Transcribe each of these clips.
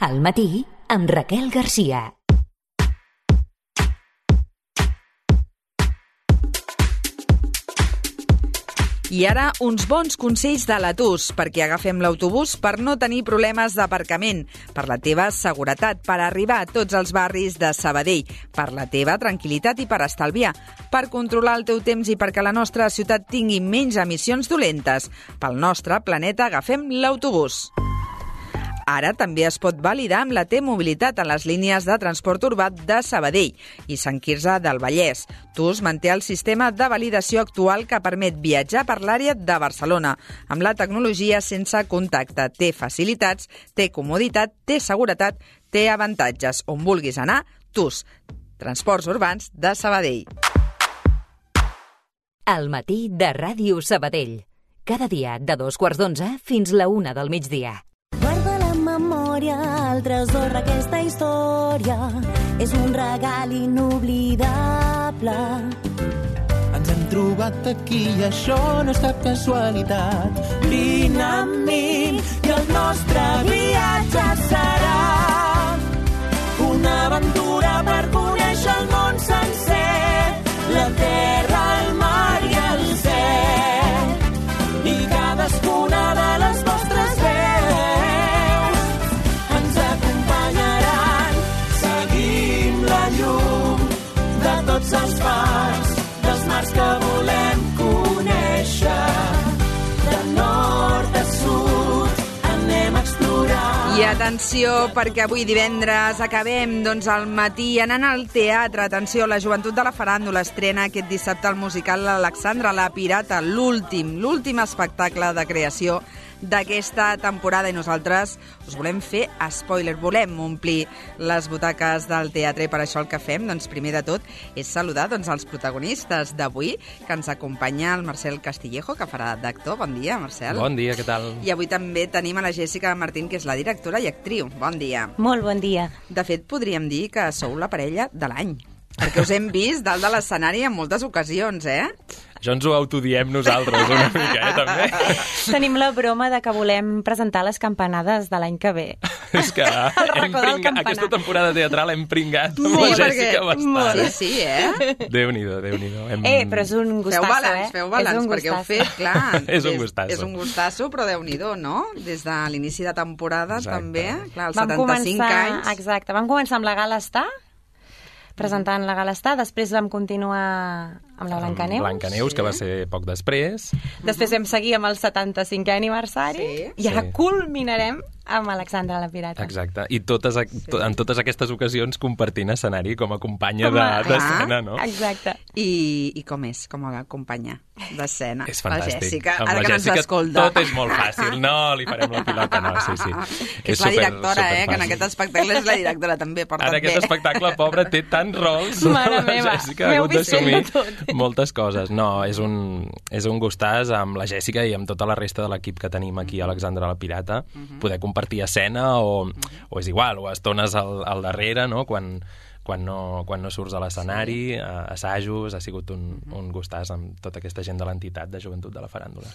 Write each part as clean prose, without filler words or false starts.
Al matí, amb Raquel Garcia. I ara, uns bons consells de l'Atus, perquè agafem l'autobús per no tenir problemes d'aparcament, per la teva seguretat, per arribar a tots els barris de Sabadell, per la teva tranquil·litat i per estalviar, per controlar el teu temps i perquè la nostra ciutat tingui menys emissions dolentes. Pel nostre planeta agafem l'autobús. Ara també es pot validar amb la T-Mobilitat en les línies de transport urbà de Sabadell i Sant Quirze del Vallès. TUS manté el sistema de validació actual que permet viatjar per l'àrea de Barcelona, amb la tecnologia sense contacte. Té facilitats, té comoditat, té seguretat, té avantatges. On vulguis anar, TUS. Transports urbans de Sabadell. Al matí de Ràdio Sabadell. Cada dia de 2:15 fins la 1 del migdia. El tresor d'aquesta història és un regal inoblidable. Ens hem trobat aquí i això no és cap casualitat. Vine amb mi i el nostre viatge serà una aventura per conèixer el món sencer, la terra, el mar i el cel, i cadascuna de les vostres veus tots els fars dels mars que volem conèixer. De nord a sud anem a explorar. I atenció, perquè avui divendres acabem al matí anant al teatre. Atenció, la Joventut de la Faràndula estrena aquest dissabte el musical Alexandra la Pirata, l'últim espectacle de creació d'aquesta temporada, i nosaltres us volem fer spoiler, volem omplir les butaques del teatre, i per això el que fem, primer de tot, és saludar els protagonistes d'avui, que ens acompanya el Marcel Castillejo, que farà d'actor. Bon dia, Marcel. Bon dia, què tal? I avui també tenim a la Jessica Martín, que és la directora i actriu. Bon dia. Molt bon dia. De fet, podríem dir que sou la parella de l'any, perquè us hem vist dalt de l'escenari en moltes ocasions, eh? Això ens ho autodiem nosaltres una mica, també. Tenim la broma de que volem presentar les campanades de l'any que ve. És que aquesta temporada teatral hem pringat amb la Jessica bastant. Sí, eh? Déu-n'hi-do. Però és un gustasso, Feu balanç, perquè heu fet, clar. És un gustasso. És un gustasso, però Déu-n'hi-do, no? Des de l'inici de temporada, també. Clar, els 75 anys. Exacte, vam començar amb la Gala Estar, presentant la Gala Estar, després vam continuar amb la Blancaneus. Blancaneus, que va ser poc després. Després vam seguir amb el 75è aniversari, i ara culminarem amb Alexandra la Pirata. Exacte, i en totes aquestes ocasions compartint escenari com a companya d'escena, no? Exacte. I com és, com a companya d'escena? És fantàstic. La Jessica, amb ara la que Jessica no ens escolta. Tot és molt fàcil, no li farem la pilota, no, sí. Que és la directora, que en aquest espectacle és la directora, també porta bé. En aquest espectacle, pobra, té tants rols. Mare meva, Jessica ha hagut d'assumir moltes coses. No, és un gustàs amb la Jessica i amb tota la resta de l'equip que tenim aquí a Alexandra la Pirata, poder compartir escena o és igual, o estones al darrere, no? Quan no surts a l'escenari, assajos, ha sigut un gustàs amb tota aquesta gent de l'entitat de Joventut de la Faràndula.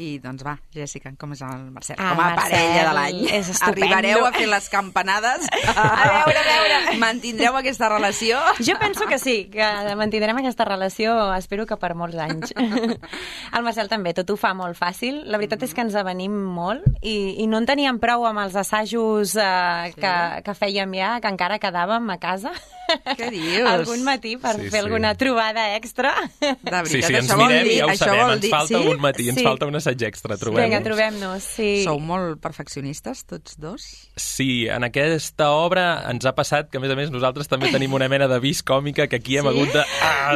I doncs va, Jessica, com és el Marcel? Com a parella de l'any. És estupendo. Arribareu a fer les campanades? A veure. Mantindreu aquesta relació? Jo penso que sí, que mantindrem aquesta relació, espero que per molts anys. El Marcel també, tot ho fa molt fàcil. La veritat és que ens avenim molt i no en teníem prou amb els assajos que fèiem ja, que encara quedàvem a casa. Què dius? Algun matí per fer alguna trobada extra. De veritat, sí, ens mirem i ja ho sabem, ens falta un matí, ens falta un assaig extra, trobem-nos. Vinga, trobem-nos, sí. Sou molt perfeccionistes, tots dos? Sí, en aquesta obra ens ha passat que, a més, nosaltres també tenim una mena de vis còmica que aquí hem hagut de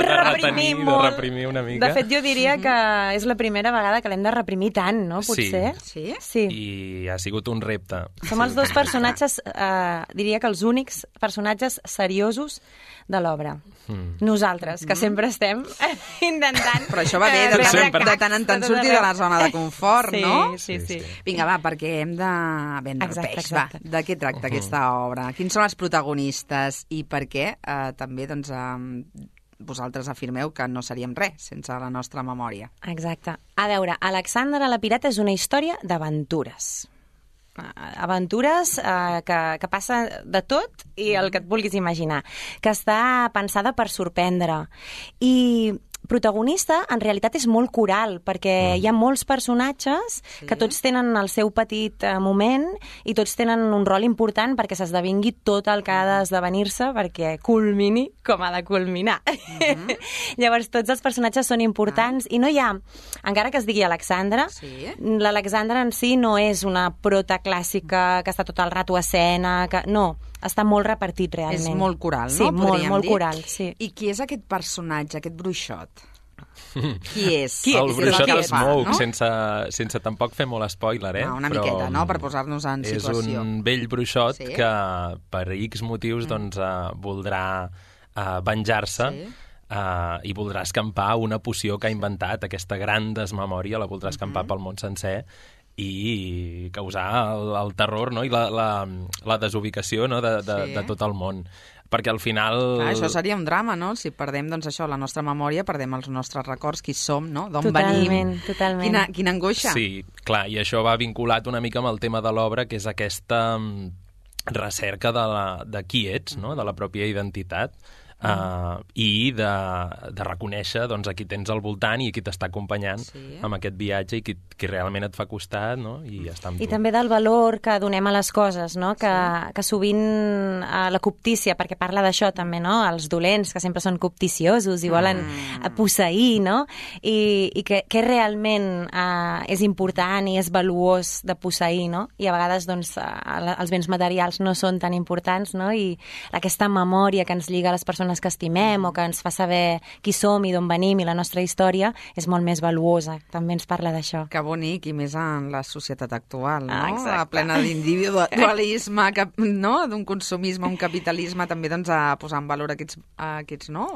retenir, de reprimir una mica. De fet, jo diria que és la primera vegada que l'hem de reprimir tant, no? Potser. Sí? I ha sigut un repte. Som els dos personatges, diria que els únics personatges seriosos de l'obra. Nosaltres, que sempre estem intentant... Però això va bé, de tant en tant sortir de la zona de confort, no? Sí. Vinga, va, perquè hem de vendre el peix. Va, de què tracta aquesta obra? Quins són els protagonistes i per què també vosaltres afirmeu que no seríem res sense la nostra memòria? Exacte. A veure, Alexandra la Pirata és una història d'aventures. aventures que passa de tot i el que et vulguis imaginar, que està pensada per sorprendre. I protagonista, en realitat, és molt coral, perquè hi ha molts personatges que tots tenen el seu petit moment i tots tenen un rol important perquè s'esdevingui tot el que ha d'esdevenir-se perquè culmini com ha de culminar. Llavors, tots els personatges són importants i no hi ha, encara que es digui Alexandra, l'Alexandra en si no és una prota clàssica que està tot el rato a escena, no, està molt repartit realment. És molt coral, no? Sí, molt coral, sí. I qui és aquest personatge, aquest bruixot? Qui és? El bruixot de Smoke, no? sense tampoc fer molt spoiler, Una miqueta, no?, per posar-nos en situació. És un vell bruixot que per X motius voldrà venjar-se i voldrà escampar una poció que ha inventat, aquesta gran desmemòria, la voldrà escampar pel món sencer i causar el terror, no?, i la desubicació, no?, de tot el món. Perquè al final... Clar, això seria un drama, no? Si perdem, doncs això, la nostra memòria, perdem els nostres records, qui som, no? D'on venim. Totalment. Quina angoixa. Sí, clar, i això va vinculat una mica amb el tema de l'obra, que és aquesta recerca de qui ets, no?, de la pròpia identitat, i de reconèixer doncs, a qui tens al voltant i a qui t'està acompanyant amb aquest viatge i qui realment et fa costat, no?, i està amb tu. I també del valor que donem a les coses, no?, que sovint la cobtícia, perquè parla d'això també, no?, els dolents, que sempre són cobticiosos i volen posseir, no?, i que realment és important i és valuós de posseir, no?, i a vegades doncs, els béns materials no són tan importants, no?, i aquesta memòria que ens lliga a les persones que estimem o que ens fa saber qui som i d'on venim i la nostra història és molt més valuosa. També ens parla d'això. Que bonic, i més en la societat actual, no? Exacte. Plena d'individualisme, no? D'un consumisme, un capitalisme, també doncs, a posar en valor aquests no?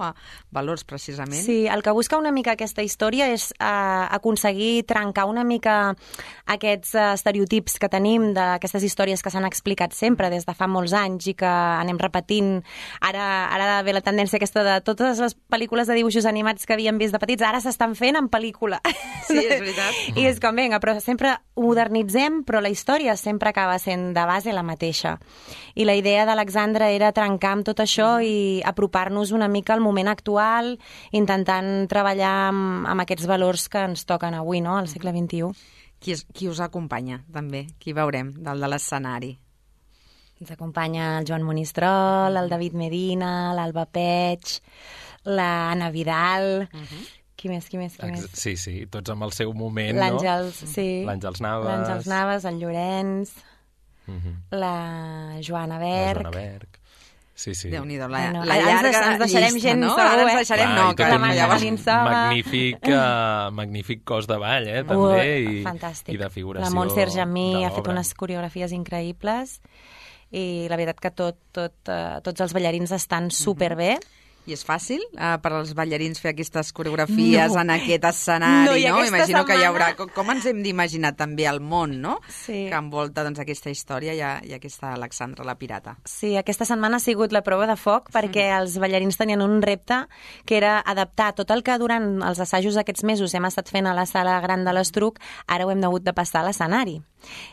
Valors, precisament. Sí, el que busca una mica aquesta història és aconseguir trencar una mica aquests estereotips que tenim d'aquestes històries que s'han explicat sempre des de fa molts anys i que anem repetint. Ara ve la tendència aquesta de totes les pel·lícules de dibuixos animats que havíem vist de petits, ara s'estan fent en pel·lícula. Sí, és veritat. I és com, vinga, però sempre ho modernitzem, però la història sempre acaba sent de base la mateixa. I la idea d'Alexandra era trencar amb tot això i apropar-nos una mica al moment actual, intentant treballar amb aquests valors que ens toquen avui, no?, al segle XXI. Qui us acompanya, també? Qui veurem, del de l'escenari? Ens acompanya el Joan Monistrol, el David Medina, l'Alba Peig, l'Anna Vidal... Qui més? Sí, tots amb el seu moment, l'Àngels, no? sí. L'Àngels Navas. L'Àngels Navas, el Llorenç, la Joana Berg. La Joana Berg. Sí. Déu-n'hi-do, la llarga ens deixarem llista, gent, no? Ara ens deixarem, no, que magnífic cos de ball, també, fantàstic. I de figuració. La Montser Jamí ha fet unes coreografies increïbles i la veritat que tots els ballarins estan superbé. I és fàcil per als ballarins fer aquestes coreografies en aquest escenari, no? Imagino que hi haurà... Com ens hem d'imaginar també el món, no? Sí. Que envolta doncs, aquesta història i aquesta Alexandra la pirata. Sí, aquesta setmana ha sigut la prova de foc perquè els ballarins tenien un repte que era adaptar tot el que durant els assajos aquests mesos hem estat fent a la sala gran de l'Estruc, ara ho hem hagut de passar a l'escenari.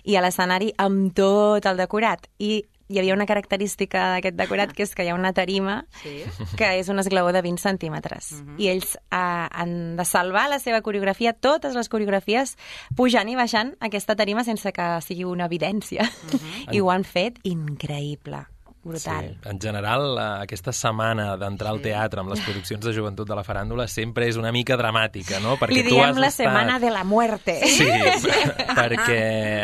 I a l'escenari amb tot el decorat. I hi havia una característica d'aquest decorat, que és que hi ha una tarima que és un esglaó de 20 centímetres. I ells han de salvar la seva coreografia, totes les coreografies, pujant i baixant aquesta tarima sense que sigui una evidència. I ho han fet increïble. Brutal. Sí. En general, aquesta setmana d'entrar al teatre amb les produccions de joventut de la faràndula sempre és una mica dramàtica, no? Perquè li diem la setmana de la muerte. Sí, perquè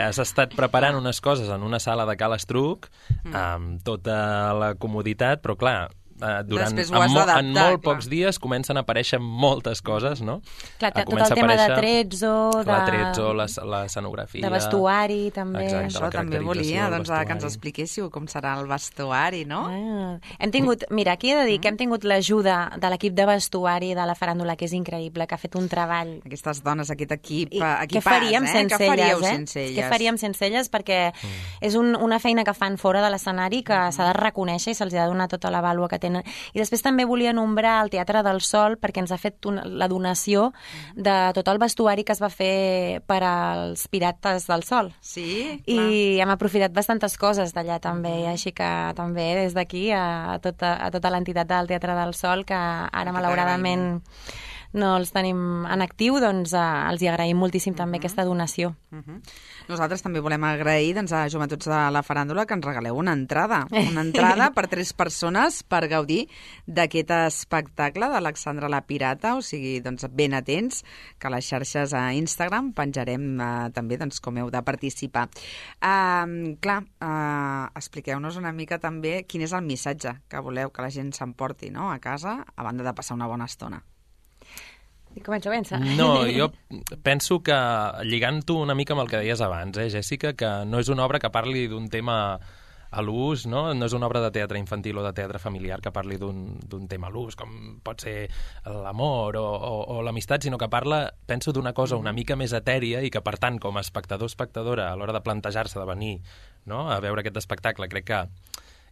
has estat preparant unes coses en una sala de Cal Estruc amb tota la comoditat, però clar, en molt pocs dies comencen a aparèixer moltes coses, no? Clar, tot el tema de trezzo, l'escenografia, de vestuari, també. Exacte, això també volia que ens expliquéssiu com serà el vestuari, no? Hem tingut, mira, aquí he de dir que hem tingut l'ajuda de l'equip de vestuari de la faràndula, que és increïble, que ha fet un treball. Aquestes dones, aquest equip, què faríem sense elles, Què faríem sense elles? Perquè és una feina que fan fora de l'escenari que s'ha de reconèixer i se'ls ha de donar tota la vàlua que tenen I després també volia nombrar el Teatre del Sol, perquè ens ha fet la donació de tot el vestuari que es va fer per als Pirates del Sol. Sí, I hem aprofitat bastantes coses d'allà també, així que també des d'aquí a tota l'entitat del Teatre del Sol, que ara malauradament no els tenim en actiu, doncs els hi agraïm moltíssim també aquesta donació. Nosaltres també volem agrair a Joventuts de la Faràndula que ens regaleu una entrada per 3 persones per gaudir d'aquest espectacle d'Alexandra la Pirata, o sigui, doncs ben atents, que a les xarxes a Instagram penjarem també com heu de participar. Expliqueu-nos una mica també quin és el missatge que voleu que la gent s'emporti, no?, a casa, a banda de passar una bona estona. Començo a pensar. No, jo penso que, lligant-ho una mica amb el que deies abans, Jèssica, que no és una obra que parli d'un tema a l'ús, no és una obra de teatre infantil o de teatre familiar que parli d'un tema a l'ús, com pot ser l'amor o l'amistat, sinó que parla, penso, d'una cosa una mica més etèria i que, per tant, com a espectador o espectadora, a l'hora de plantejar-se de venir a veure aquest espectacle, crec que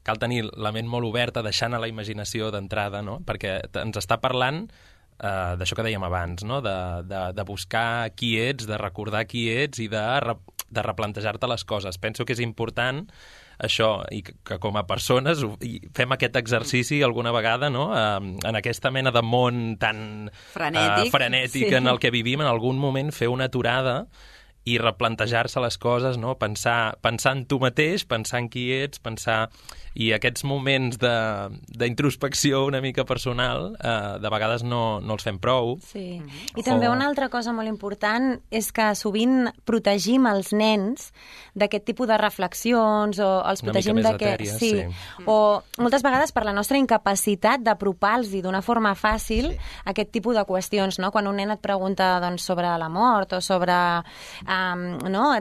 cal tenir la ment molt oberta, deixant a la imaginació d'entrada, perquè ens està parlant d'això que dèiem abans, no? De buscar qui ets, de recordar qui ets i de replantejar-te les coses. Penso que és important això, i que com a persones fem aquest exercici alguna vegada, no? En aquesta mena de món tan frenètic en el que vivim, en algun moment fer una aturada i replantejar-se les coses, no? Pensar en tu mateix, pensar en qui ets, i aquests moments d'introspecció una mica personal de vegades no els fem prou. Sí. I també una altra cosa molt important és que sovint protegim els nens d'aquest tipus de reflexions o els protegim una mica més etèries, sí. O moltes vegades per la nostra incapacitat d'apropar-los d'una forma fàcil aquest tipus de qüestions, no? Quan un nen et pregunta sobre la mort o sobre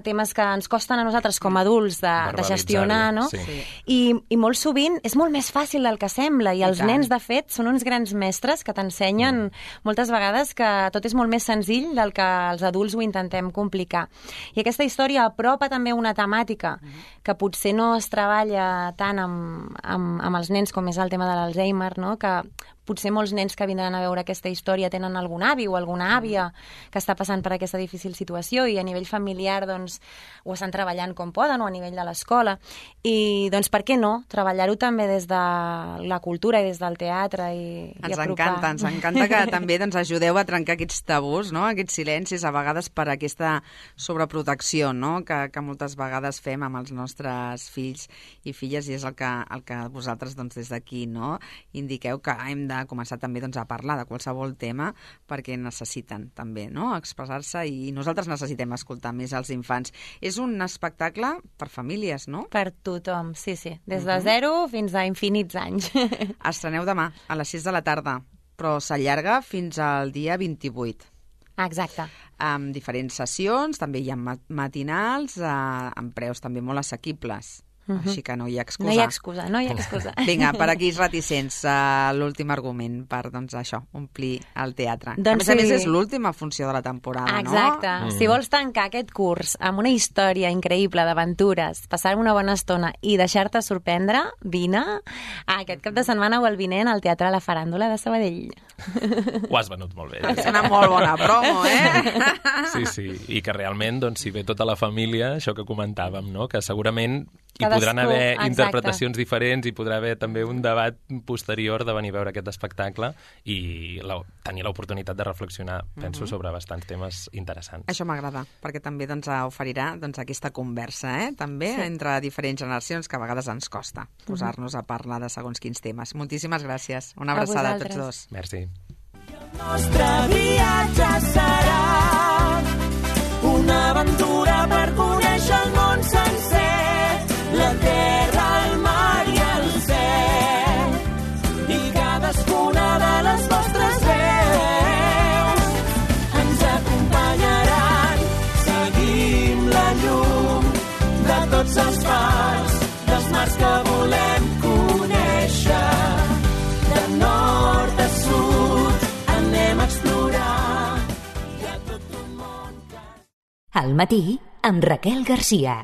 temes que ens costen a nosaltres com a adults de gestionar, no? Sí. I molt sovint és molt més fàcil del que sembla, i els nens, de fet, són uns grans mestres que t'ensenyen moltes vegades que tot és molt més senzill del que els adults ho intentem complicar. I aquesta història apropa també una temàtica que potser no es treballa tant amb els nens com és el tema de l'Alzheimer, no? Que potser molts nens que vindran a veure aquesta història tenen algun avi o alguna àvia que està passant per aquesta difícil situació, i a nivell familiar doncs, ho estan treballant com poden, o a nivell de l'escola. I doncs per què no? Treballar-ho també des de la cultura i des del teatre i apropar. Ens encanta que també ajudeu a trencar aquests tabús, no? Aquests silencis, a vegades per aquesta sobreprotecció, no? que moltes vegades fem amb els nostres fills i filles, i és el que vosaltres des d'aquí indiqueu, que hem de començar també a parlar de qualsevol tema, perquè necessiten també expressar-se, i nosaltres necessitem escoltar més els infants. És un espectacle per famílies, no? Per tothom, sí. Des de 0 fins a infinits anys. Estreneu demà a les 6 de la tarda, però s'allarga fins al dia 28. Exacte. Amb diferents sessions, també hi ha matinals, amb preus també molt assequibles. Així que no hi ha excusa. No hi ha excusa. Vinga, per aquí reticents, l'últim argument per, això, omplir el teatre. Doncs a més, és l'última funció de la temporada, Exacte. No? Si vols tancar aquest curs amb una història increïble d'aventures, passar una bona estona i deixar-te sorprendre, vine aquest cap de setmana o el vinent al Teatre La Faràndula de Sabadell. Ho has venut molt bé. És una molt bona promo, Sí. I que realment, si ve tota la família, això que comentàvem, no? Que segurament hi podran haver interpretacions diferents, i podrà haver també un debat posterior de venir a veure aquest espectacle i tenir l'oportunitat de reflexionar, penso, sobre bastants temes interessants. Això m'agrada, perquè també oferirà aquesta conversa, també entre diferents generacions, que a vegades ens costa posar-nos a parlar de segons quins temes. Moltíssimes gràcies. Una abraçada a tots dos. Merci. El nostre viatge serà una aventura per conèixer el món sencer, la terra, el mar i el cel, i cadascuna de les vostres veus ens acompanyaran. Seguim la llum de tots els fars, dels mars que volem conèixer. De nord a sud anem a explorar. Hi ha tot un món que... Al matí, amb Raquel Garcia.